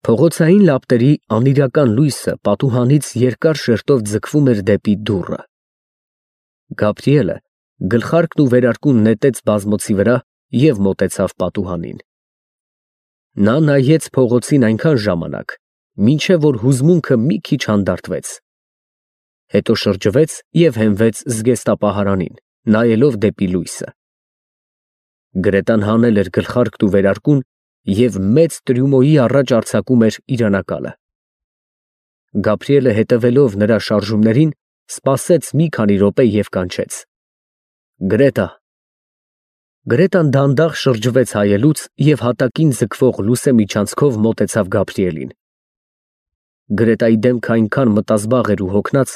Փողոցային լապտերի անիրական լույսը պատուհանից երկար շերտով ձգվում էր դեպի դուռը։ Գաբրիելը գլխարկն ու վերարկուն նետեց բազմոցի վրա և մոտեցավ պատուհանին։ Նա նայեց փողոցին այնքան ժամանակ, մինչև որ հուզմունքը մի քիչ հանդարտվեց, հետո շրջվեց և հենվեց զգեստապահարանին, նայելով դեպի լույսը։ Գրետան հանել էր գլխարկն ու վերարկուն և մեծ տրյումոյի առաջ արձակում էր իրանակալը։ Գաբրիելը հետևելով նրա շարժումներին, սպասեց մի քանի րոպե և կանչեց. Գրետա։ Գրետան դանդաղ շրջվեց հայելուց և հատակին ձգվող լուսեմիջանցքով մոտեցավ Գաբրիելին։ Գրետայի դեմքը այնքան մտազբաղ էր ու հոգնած,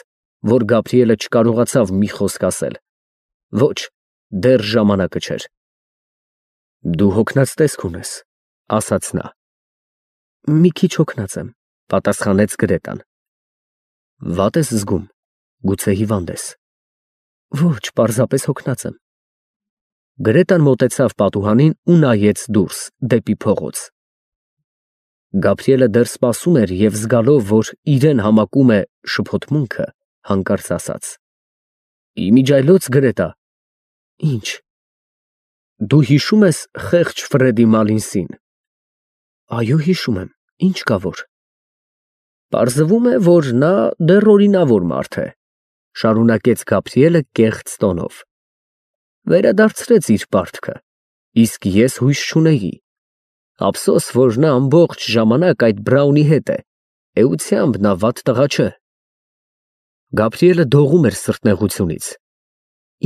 որ Գաբրիելը չկարողացավ մի խոսք ասել։ Ոչ, դեռ ժամանակը չէր։ Դու հոգնած տեսք ունես, ասաց նա։ Մի քիչ հոգնած եմ, պատասխանեց Գրետան։ Վատ ես զգում, գուցե հիվանդ ես։ Ոչ, պարզապես հոգնած եմ։ Գրետան մոտեցավ պատուհանին ու նայեց դուրս, դեպի փողոց։ Գաբրիելը դեռ սպասում էր և զգալով, որ իրեն համակում է շփոթմունքը, հանկարծ ասաց. Իմիջիայլոց Գրետա։ Ինչ։ Դու հիշում ես խեղճ Ֆրեդի Մալինսին։ Այո, հիշում եմ, ինչ կա որ։ Պարզվում է, որ նա դեռ օրինավոր մարդ է, շարունակեց Գաբրիելը կեղծ տոնով։ Վերադարձրեց իր պարտքը, իսկ ես հույս չունեի։ Ափսոս, որ նա ամբողջ ժամանակ այդ Բրաունի հետ է, էությամբ նա վատ տղա չէ։ Գաբրիելը դողում էր սրտնեղությունից։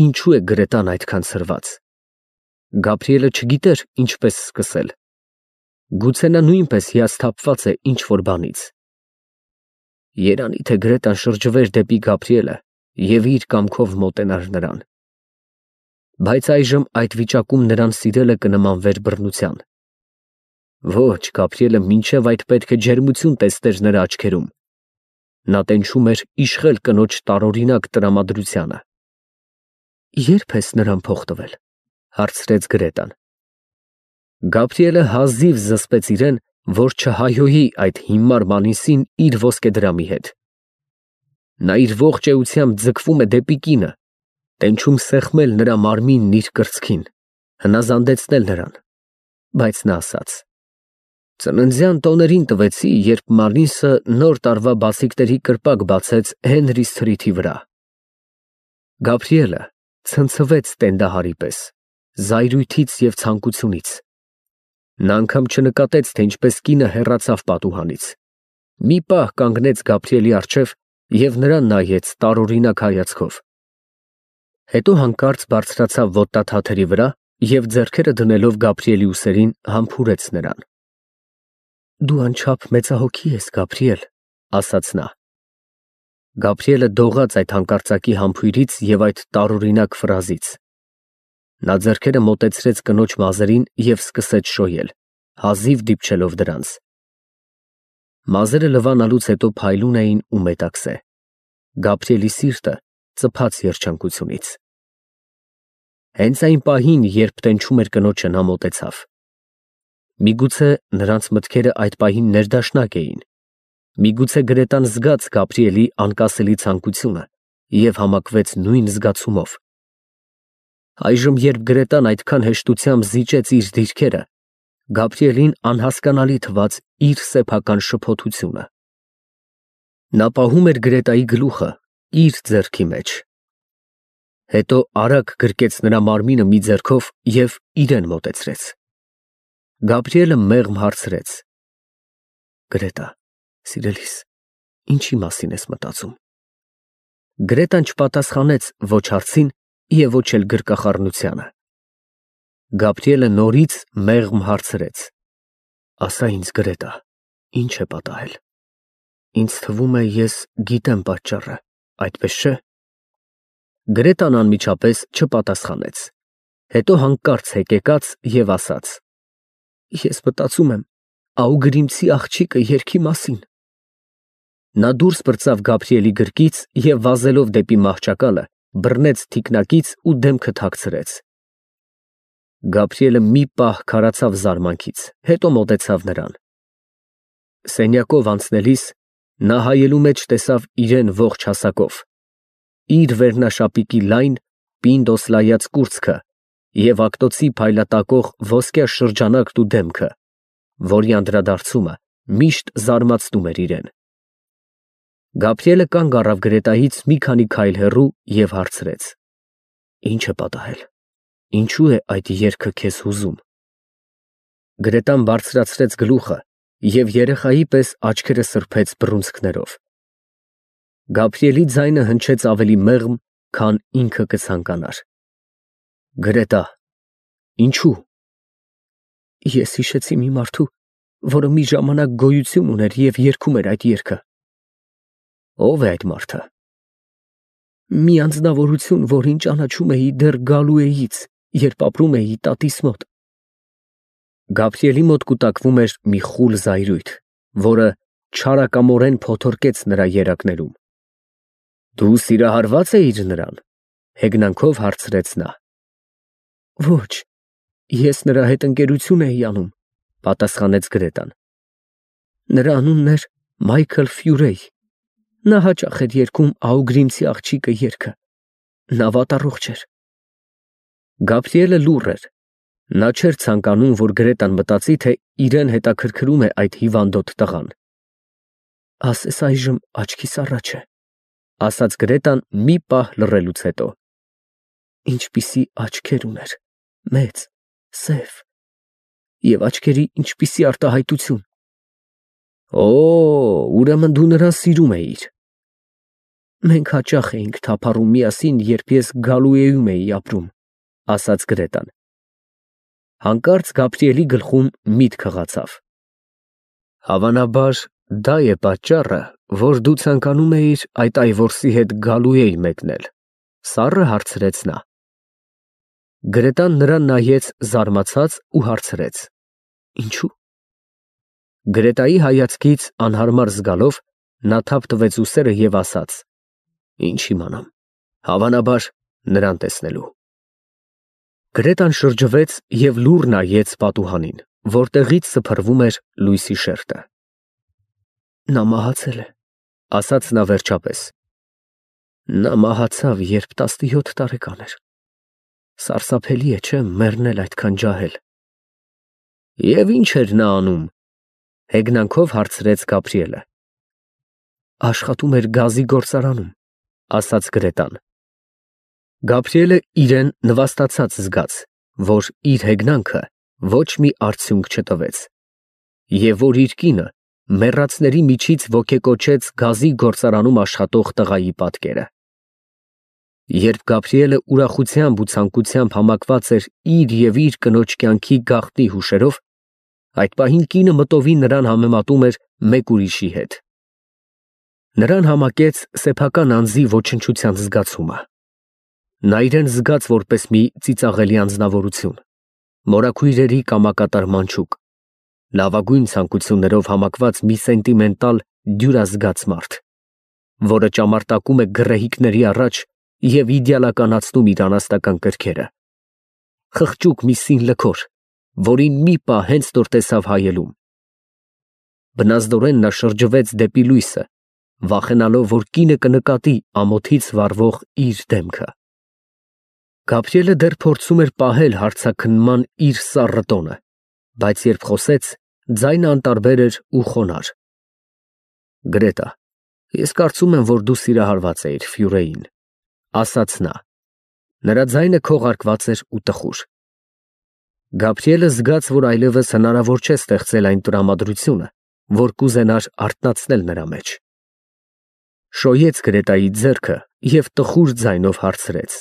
Ինչու է Գրետան այդքան ցրված։ Գաբրիելը չգիտեր ինչպես սկսել։ Գուցե նա նույնպես հիասթափված է ինչ-որ բանից։ Երանի թե Գրետան շրջվեր դեպի Գաբրիելը և իր կամքով մոտենար նրան։ Բայց այժմ այդ վիճակում նրան սիրելը կնմանվեր բռնության։ Ոչ, Գաբրիելը մինչև այդ պետք է ջերմություն տեսներ նրա աչքերում։ Նա տենչում էր իշխել կնոջ տարօրինակ տրամադրությանը։ Ե՞րբ ես նրան փող տվել, հարցրեց Գրետան։ Գաբրիելը հազիվ զսպեց իրեն, որ չհայհոյի այդ հիմար Մալինսին իր ոսկեդրամի հետ։ Նա իր ողջ էությամբ ձգվում է դեպի կինը, տենչում սեղմել նրա մարմինն իր կրծքին, հնազանդեցնել նրան, բայց նա ասաց. Ծննդյան տոներին տվեցի, երբ Մալինսը նոր տարվա բացիկների կրպակ բացեց Հենրի Սթրիթի վրա։ Գաբրիելը ցնցվեց տենդահարի պես, զայրույթից և ցանկությունից։ Նա անգամ չնկատեց, թե ինչպես կինը հեռացավ պատուհանից։ Մի պահ կանգնեց Գաբրիելի առջև և նրան նայեց տարօրինակ հայացքով։ Հետո հանկարծ բարձրացավ ոտնաթաթերի վրա և ձեռքերը դնելով Գաբրիելի ուսերին համբուրեց նրան։ Դու անչափ մեծահոգի ես, Գաբրիել, ասաց նա։ Գաբրիելը դողաց այդ հանկարծակի համբույրից և այդ տարօրինակ ֆրազից։ Նա ձեռքերը մոտեցրեց կնոջ մազերին և սկսեց շոյել, հազիվ դիպչելով դրանց։ Մազերը լվանալուց հետո փայլուն էին ու մետաքսե։ Գաբրիելի սիրտը ծփաց երջանկությունից։ Հենց այն պահին, երբ տենչում էր կնոջը, նա մոտեցավ։ Միգուցե նրանց մտքերը այդ պահին ներդաշնակ էին։ Միգուցե Գրետան զգաց Գաբրիելի անկասելի ցանկությունը և համակվեց նույն զգացումով։ Այժմ, երբ Գրետան այդքան հեշտությամբ զիջեց իր դիրքերը, Գաբրիելին անհասկանալի թվաց իր սեփական շփոթությունը։ Նա պահում էր Գրետայի գլուխը իր ձեռքի մեջ։ Հետո արագ գրկեց նրա մարմինը մի ձեռքով և իրեն մոտեցրեց։ Գաբրիելը մեղմ հարցրեց. Գրետա, սիրելիս, ինչի մասին ես մտածում։ Գրետան չպատասխանեց ոչ հարցին և ոչ էլ գրկախառնությանը։ Գաբրիելը նորից մեղմ հարցրեց. Ասա ինձ, Գրետա, ինչ է պատահել։ Ինձ թվում է, ես գիտեմ պատճառը, այդպես չէ։ Գրետան անմիջապես չպատասխանեց։ Հետո հանկարծ հեկեկաց և ասաց. Ես մտածում եմ Աուգրիմցի աղջիկը երգի մասին։ Նա դուրս պրծավ Գաբրիելի գրկից և վազելով դեպի մահճակալը, բռնեց թիկնակից ու դեմքը թաքցրեց։ Գաբրիելը մի պահ քարացավ զարմանքից, հետո մոտեցավ նրան։ սենյակով անցնելիս նա հայելու մեջ տեսավ իրեն ողջ հասակով, իր վերնաշապիկի լայն, պինդ օսլայած կուրծքը և ակտոցի փայլատակող ոսկյա շրջանակն ու դեմքը, որի անդրադարձումը միշտ զարմացնում էր իրեն։ Գաբրիելը կանգ առավ Գրետայից մի քանի քայլ հեռու և հարցրեց. «Ի՞նչ է պատահել, ինչու է այդ երգը քեզ հուզում»։ Գրետան բարձրացրեց գլուխը և երեխայի պես աչքերը սրբեց բռունցքներով։ Գաբրիելի ձայնը հնչեց ավելի մեղմ, քան ինքը կցանկանար։ Գրետա, ինչու՞։ Ես հիշեցի մի մարդու, որը մի ժամանակ գոյություն ուներ և երգում էր այդ երգը։ Ո՞վ է այդ մարդը։ Մի անձնավորություն, որին ճանաչում էի դեռ Գալուեից, երբ ապրում էի տատիս մոտ։ Գաբրիելի մոտ կուտակվում էր մի խուլ զայրույթ, որը չարակամորեն փոթորկեց նրա երակներում։ Դու սիրահարվա՞ծ էիր նրան, հեգնանքով հարցրեց նա։ Ոչ, ես նրա հետ ընկերություն էի անում, պատասխանեց Գրետան։ Նրա անունն էր Մայքլ Ֆյուրեյ։ Նա հաճախ էր երգում Աուգրիմցի աղջիկը երգը։ Նա վատառողջ էր։ Գաբրիելը լուռ էր։ Նա չէր ցանկանում, որ Գրետան մտածի, թե իրեն հետաքրքրում է այդ հիվանդոտ տղան։ Ասես այժմ աչքիս առաջ է, ասաց Գրետան մի պահ լռելուց հետո։ Ինչպիսի աչքեր ուներ, մեծ, սև, և աչքերի ինչպիսի արտահայտություն։ Օ, ուրեմն դու նրան սիրում էիր։ Մենք հաճախ էինք թափառում միասին, երբ ես Գալուեում էի ապրում, ասաց Գրետան։ Հանկարծ Գաբրիելի գլխում միտք հղացավ։ Հավանաբար դա է պատճառը, որ դու ցանկանում էիր այդ այվորսի հետ Գալուեյ մեկնել, սառը հարցրեց նա։ Գրետան նրան նայեց զարմացած ու հարցրեց. Ինչու՞։ Գրետայի հայացքից անհարմար զգալով նա թափ տվեց ուսերը և ասաց. Ինչ իմանամ, հավանաբար նրան տեսնելու։ Գրետան շրջվեց և լուռ նայեց պատուհանին, որտեղից սփռվում էր լույսի շերջը։ Նա մահացել է, ասաց նա վերջապես։ Նա մահացավ, երբ 17 տարեկան էր։ Սարսափելի է, չէ՞, մեռնել այդքան ջահել։ Եվ ի՞նչ էր նա անում, հեգնանքով հարցրեց Գաբրիելը։ Աշխատում էր գազի գործարանում, ասաց Գրետան։ Գաբրիելը իրեն նվաստացած զգաց, որ իր հեգնանքը ոչ մի արդյունք չտվեց, և որ իր կինը մեռածների միջից ոգեկոչեց գազի գործարանում աշխատող տղայի պատկերը։ Երբ Գաբրիելը ուրախությամբ ու ցանկությամբ համակված էր իր և իր կնոջ կյանքի գաղտնի հուշերով, այդ պահին կինը մտովին նրան համեմատում էր մեկ ուրիշի հետ։ Նրան համակեց սեփական անձի ոչնչության զգացումը։ Նա իրեն զգաց որպես մի ծիծաղելի անձնավորություն, մորաքույրերի կամակատար մանչուկ, լավագույն ցանկություններով համակված մի սենտիմենտալ դյուրազգաց մարդ, որը ճամարտակում է գռեհիկների առաջ և իդեալականացնում իր անասնական կրքերը։ Խղճուկ մի սին լքոր, որին մի պահ հենց նոր տեսավ հայելում։ Բնազդորեն նա շրջվեց դեպի լույսը, վախենալով, որ կինը կնկատի ամոթից վառվող իր դեմքը։ Գաբրիելը դեռ փորձում էր պահել հարցաքննման իր սառը տոնը, բայց երբ խոսեց, ձայնը անտարբեր էր ու խոնարհ։ Գրետա, ես կարծում եմ, որ դու սիրահարված էիր Ֆյուրեին, ասաց նա։ Նրա ձայնը քողարկված էր ու տխուր։ Գաբրիելը զգաց, որ այլևս հնարավոր չէ ստեղծել այն տրամադրությունը, որ կուզենար արթնացնել նրա մեջ։ Շոյեց Գրետայի ձեռքը և տխուր ձայնով հարցրեց.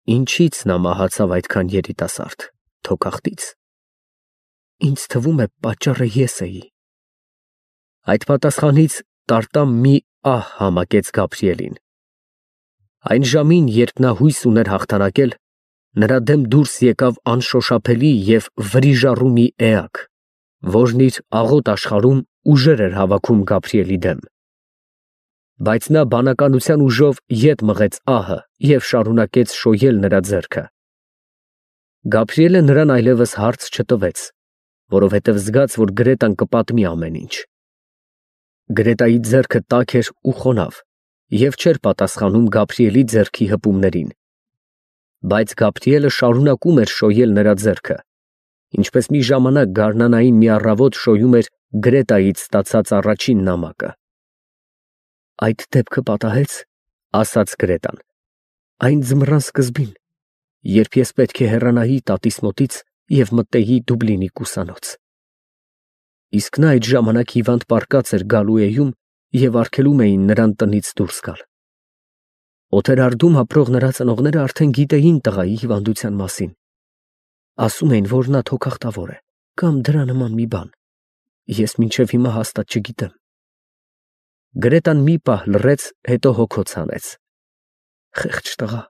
Ինչի՞ց նա մահացավ այդքան երիտասարդ, թոքախտի՞ց։ Ինձ թվում է, պատճառը ես էի։ Այդ պատասխանից տարտամ մի ահ համակեց Գաբրիելին։ Այն ժամին, երբ նա հույս ուներ հաղթանակել, նրա դեմ դուրս եկավ անշոշափելի և վրիժառու մի էակ, որն իր աղոտ աշխարհում ուժեր էր հավաքում Գաբրիելի դեմ։ Բայց նա բանականության ուժով ետ մղեց ահը և շարունակեց շոյել նրա ձեռքը։ Գաբրիելը նրան այլևս հարց չտվեց, որովհետև զգաց, որ Գրետան կպատմի ամեն ինչ։ Գրետայի ձեռքը տաք էր ու խոնավ և չէր պատասխանում Գաբրիելի ձեռքի հպումներին, բայց Գաբրիելը շարունակում էր շոյել նրա ձեռքը, ինչպես մի ժամանակ գարնանային մի առավոտ շոյում էր Գրետայից ստացած առաջին նամակը։ «Այդ դեպքը պատահեց, — ասաց Գրետան, — այն ձմռան սկզբին, երբ ես պետք է հեռանայի տատիս մոտից և մտնեի Դուբլինի կուսանոց։ Իսկ նա այդ ժամանակ հիվանդ պառկած էր Գալուեում և արգելում էին նրան տնից դուրս գալ։ Օթերարդում ապրող նրա ծնողները արդեն գիտեին տղայի հիվանդության մասին. ասում էին, որ նա թոքախտավոր է կամ դրա նման մի բան, ես մինչև հիմա հաստատ չգիտեմ։ Գրետան մի պահ լռեց, հետո հոգոց հանեց. խեղճ տղա,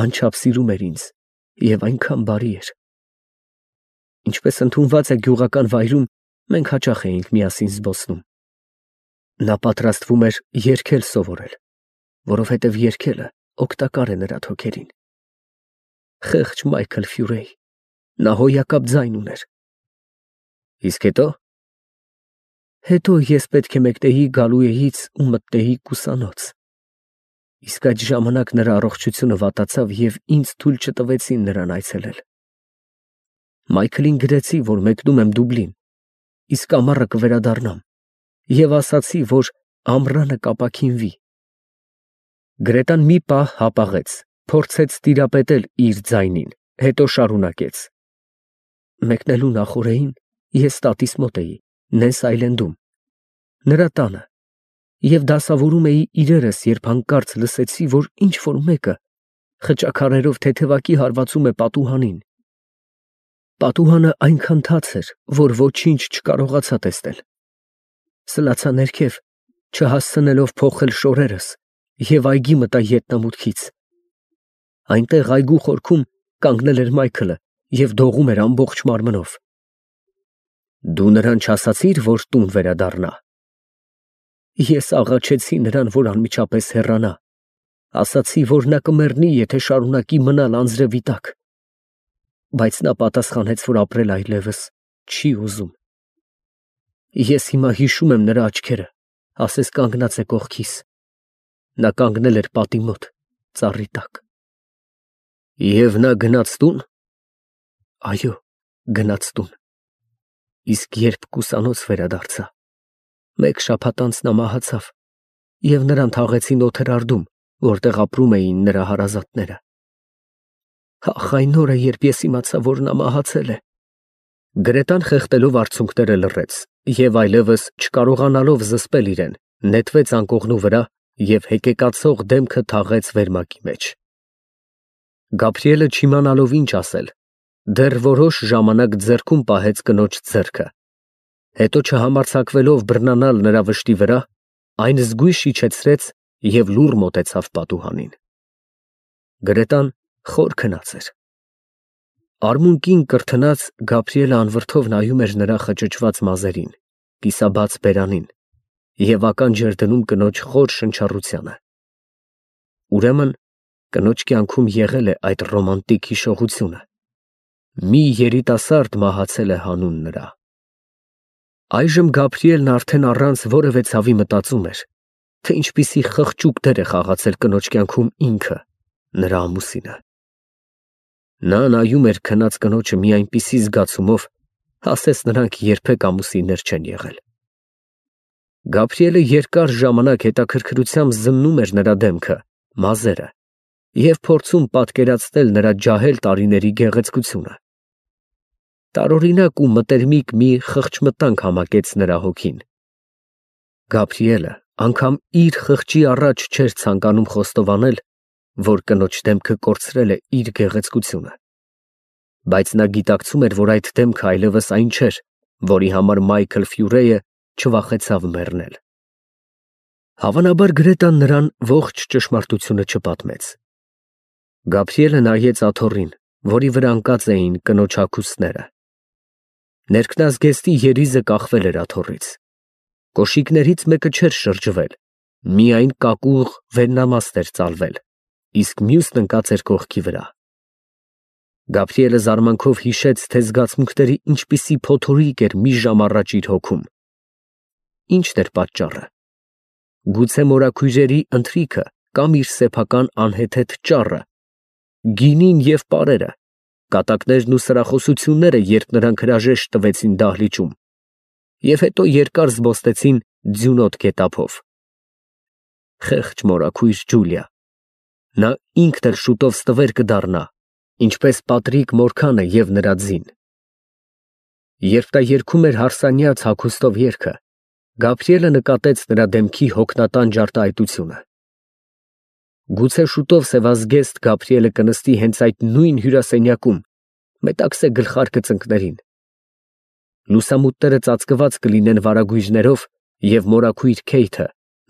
անչափ սիրում էր ինձ և այնքան բարի էր։ Ինչպես ընդունված է գյուղական վայրում, մենք հաճախ էինք միասին զբոսնում։ Նա պատրաստվում էր երգել սովորել, որովհետև երգելը օգտակար է նրա թոքերին։ Խեղճ Մայքլ Ֆյուրեյ, նա հոյակապ ձայն ուներ։ Իսկ հետո ես պետք է մեկնեի Գալուեից ու մտնեի կուսանոց։ Իսկ այդ ժամանակ նրա առողջությունը վատացավ և ինձ թույլ չտվեցին նրան այցելել։ Մայքլին գրեցի, որ մեկնում եմ Դուբլին, իսկ ամառը կվերադառնամ, և ասացի, որ ամռանը կապաքինվի։ Գրետան մի պահ հապաղեց, փորձեց տիրապետել իր ձայնին, հետո շարունակեց. մեկնելու նախօրեին ես տատիս մոտ էի, Նես Այլենդում, նրա տանը, և դասավորում էի իրերս, երբ հանկարծ լսեցի, որ ինչ֊որ մեկը խճաքարերով թեթևակի հարվածում է պատուհանին։ Պատուհանը այնքան թաց էր, որ ոչինչ չկարողացա տեսնել։ Սլացա ներքև, չհասցնելով փոխել շորերս, և այգի մտա ետնամուտքից։ Այնտեղ այգու խորքում կանգնել էր Մայքլը և դողում էր ամբողջ մարմնով։ Դու նրան չասացի՞ր, որ տուն վերադառնա։ Ես աղաչեցի նրան, որ անմիջապես հեռանա, ասացի, որ նա կմեռնի, եթե շարունակի մնալ անձրևի տակ, բայց նա պատասխանեց, որ ապրել այլևս չի ուզում։ Ես հիմա հիշում եմ նրա աչքերը, ասես կանգնած է կողքիս։ Նա կանգնել էր պատի մոտ, ծառի տակ։ Եվ նա գնաց տո՞ւն։ Այո, գնաց տուն։ Իսկ երբ կուսանոց վերադարձա, մեկ շաբաթ անց նա մահացավ, և նրան թաղեցին Օթերարդում, որտեղ ապրում էին նրա հարազատները։ Ահ, այն օրը, երբ ես իմացա, որ նա մահացել է։ Գրետան խեղդելով արցունքները լռեց և այլևս չկարողանալով զսպել իրեն, նետվեց անկողնու վրա և հեկեկացող դեմքը թաղեց վերմակի մեջ։ Գաբրիելը չիմանալով ինչ ասել, դեռ որոշ ժամանակ ձեռքում պահեց կնոջ ձեռքը, հետո չհամարձակվելով բռնանալ նրա վշտի վրա, այն զգույշ իջեցրեց և լուռ մոտեցավ պատուհանին։ Գրետան խոր քնած էր։ Արմունկին կրթնած Գաբրիելը անվրդով նայում էր նրա խճճված մազերին, կիսաբաց բերանին և ականջ էր դնում կնոջ խոր շնչառությանը։ Ուրեմն կնոջ կյանքում եղել է այդ ռոմանտիկ հիշողությունը։ Մի երիտասարդ մահացել է հանուն նրա։ Այժմ Գաբրիելն արդեն առանց որևէ ցավի մտածում էր, թե ինչպիսի խղճուկ դեր է խաղացել կնոջ կյանքում ինքը, նրա ամուսինը։ Նա նայում էր քնած կնոջը մի այնպիսի զգացումով, ասես նրանք երբեք ամուսիններ չեն եղել։ Գաբրիելը երկար ժամանակ հետաքրքրությամբ զննում էր նրա դեմքը, մազերը և փորձում պատկերացնել նրա ջահել տարիների գեղեցկությունը։ Տարօրինակ ու մտերմիկ մի խղճմտանք համակեց նրա հոգին։ Գաբրիելը անգամ իր խղճի առաջ չէր ցանկանում խոստովանել, որ կնոջ դեմքը կորցրել է իր գեղեցկությունը, բայց նա գիտակցում էր, որ այդ դեմքը այլևս այն չէր, որի համար Մայքլ Ֆյուրեյը չվախեցավ մեռնել։ Հավանաբար Գրետան նրան ողջ ճշմարտությունը չպատմեց։ Գաբրիելը նայեց աթոռին, որի վրա ընկած էին կնոջ հագուստները։ Ներքնազգեստի երիզը կախվել էր աթոռից։ Կոշիկներից մեկը չէր շրջվել, միայն կակուղ վերնամաստ էր ծալվել, իսկ մյուսն ընկած էր կողքի վրա։ Գաբրիելը զարմանքով հիշեց, թե զգացմունքների ինչպիսի փոթորիկ էր մի ժամ առաջ իր հոգում։ ի՞նչն էր պատճառը։ Գուցե մորաքույրերի ընթրիքը կամ իր սեփական անհեթեթ ճառը, գինին և պարերը, կատակներն ու սրախոսությունները, երբ նրանք հրաժեշտ տվեցին դահլիճում և հետո երկար զբոսնեցին ձյունոտ գետափով։ Խեղճ մորաքույր Ջուլիա, նա ինքն էլ շուտով ստվեր կդառնա, ինչպես Պատրիկ Մորքանը և նրա ձին։ Երբ նա երգում էր հարսանյաց հագուստով երգը, Գաբրիելը նկատեց նրա դեմքի հոգնատան ջարդայտությունը։ Գուցե շուտով սևազգեստ Գաբրիելը կնստի հենց այդ նույն հյուրասենյակում, մետաքսե գլխարկը ծնկներին։ Լուսամուտները ծածկված կլինեն վարագույրներով, և մորաքույր Քեյթը,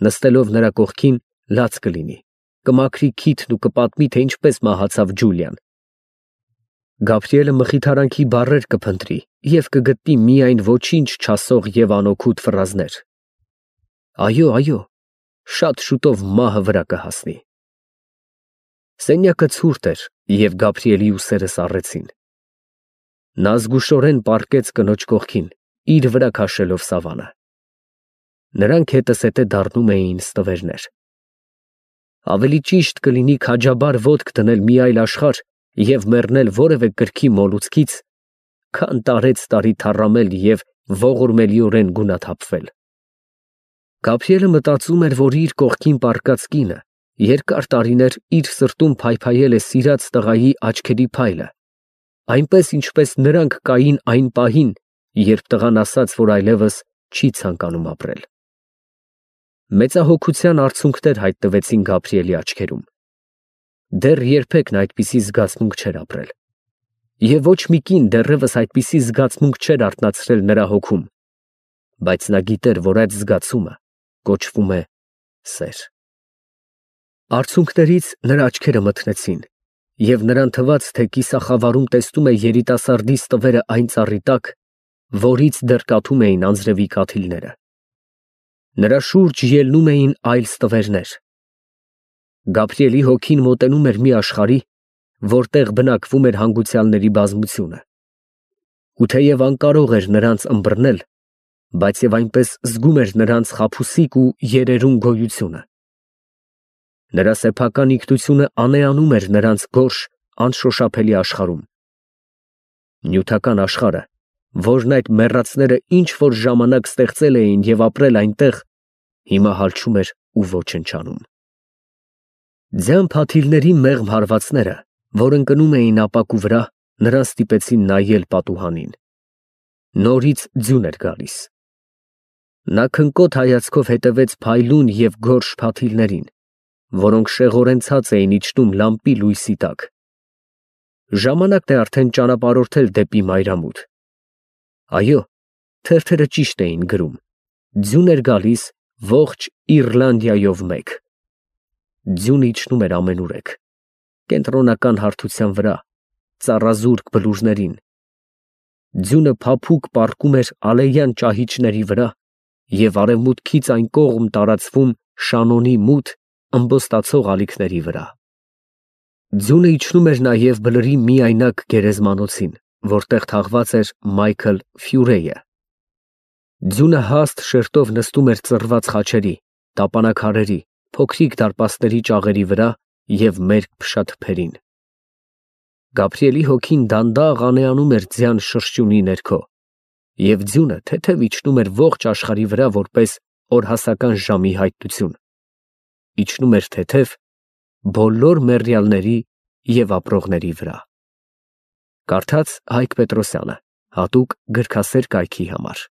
նստելով նրա կողքին, լաց կլինի, կմաքրի քիթն ու կպատմի, թե ինչպես մահացավ Ջուլիան։ Գաբրիելը մխիթարանքի բառեր կփնտրի և կգտնի միայն ոչինչ չասող և անօգուտ ֆրազներ։ Այո, այո, շատ շուտով մահը վրա կհասնի։ Սենյակը ցուրտ էր, և Գաբրիելի ուսերը սառեցին։ Նա զգուշորեն պառկեց կնոջ կողքին, իր վրա քաշելով սավանը։ Նրանք հետզհետե դառնում էին ստվերներ։ Ավելի ճիշտ կլինի քաջաբար ոտք դնել մի այլ աշխարհ և մեռնել որևէ կրքի մոլուցքից, քան տարեցտարի թառամել և ողորմելիորեն գունաթափվել։ Գաբրիելը մտածում էր, որ իր կողքին պառկած կինը երկար տարիներ իր սրտում փայփայել է սիրած տղայի աչքերի փայլը, այնպես ինչպես նրանք կային այն պահին, երբ տղան ասաց, որ այլևս չի ցանկանում ապրել։ Մեծահոգության արցունքներ հայտնվեցին Գաբրիելի աչքերում։ Դեռ երբեք նա այդպիսի զգացմունք չէր ապրել։ Եվ ոչ մի կին դեռևս այդպիսի զգացմունք չէր արթնացրել նրա հոգում, բայց նա գիտեր, որ այդ զգացումը կոչվում է սեր։ Արցունքներից նրա աչքերը մթնեցին, և նրան թվաց, թե կիսախավարում տեսնում է երիտասարդի ստվերը այն ծառի տակ, որից դեռ կաթում էին անձրևի կաթիլները։ Նրա շուրջ ելնում էին այլ ստվերներ։ Գաբրիելի հոգին մոտենում էր մի աշխարհի, որտեղ բնակվում էր հանգուցյալների բազմությունը։ Ու թեև անկարող էր նրանց ըմբռնել, բայց և այնպես զգում էր նրանց խաբուսիկ ու երերուն գոյությունը։ Նրա սեփական ինքնությունը անեանում էր նրանց գորշ, անշոշափելի աշխարհում։ Նյութական աշխարհը, որն այդ մեռածները ինչ֊որ ժամանակ ստեղծել էին և ապրել այնտեղ, հիմա հալչում էր ու ոչնչանում։ Ձյան փաթիլների մեղմ հարվածները, որ ընկնում էին ապակու վրա, նրան ստիպեցին նայել պատուհանին։ Նորից ձյուն էր գալիս։ Նա քնկոտ հայացքով հետևեց փայլուն և գորշ փաթիլներին, որոնք շեղորեն ցած էին իջնում լամպի լույսի տակ։ Ժամանակն է արդեն ճանապարհորդել դեպի մայրամուտ։ Այո, թերթերը ճիշտ էին գրում. ձյուն էր գալիս ողջ Իռլանդիայով մեկ։ Ձյունը իջնում էր ամենուրեք, կենտրոնական հարթության վրա, ծառազուրկ բլուրներին։ Ձյունը փափուկ պառկում էր ալեյան ճահիճների վրա և արևմուտքից այն կողմ տարածվում Շանոնի մութ, ըմբոստացող ալիքների վրա։ Ձյունը իջնում էր նաև բլրի միայնակ գերեզմանոցին, որտեղ թաղված էր Մայքլ Ֆյուրեյը։ Ձյունը հաստ շերտով նստում էր ծռված խաչերի, տապանաքարերի, փոքրիկ դարպասների ճաղերի վրա և մերկ փշաթփերին։ Գաբրիելի հոգին դանդաղ անեանում էր ձյան շրշյունի ներքո, և ձյունը թեթև իջնում էր ողջ աշխարհի վրա որպես օրհասական ժամի հայտնություն։ Իջնում էր թեթև բոլոր մեռյալների և ապրողների վրա։ Կարդաց Հայկ Պետրոսյանը, հատուկ գրքասեր կայքի համար։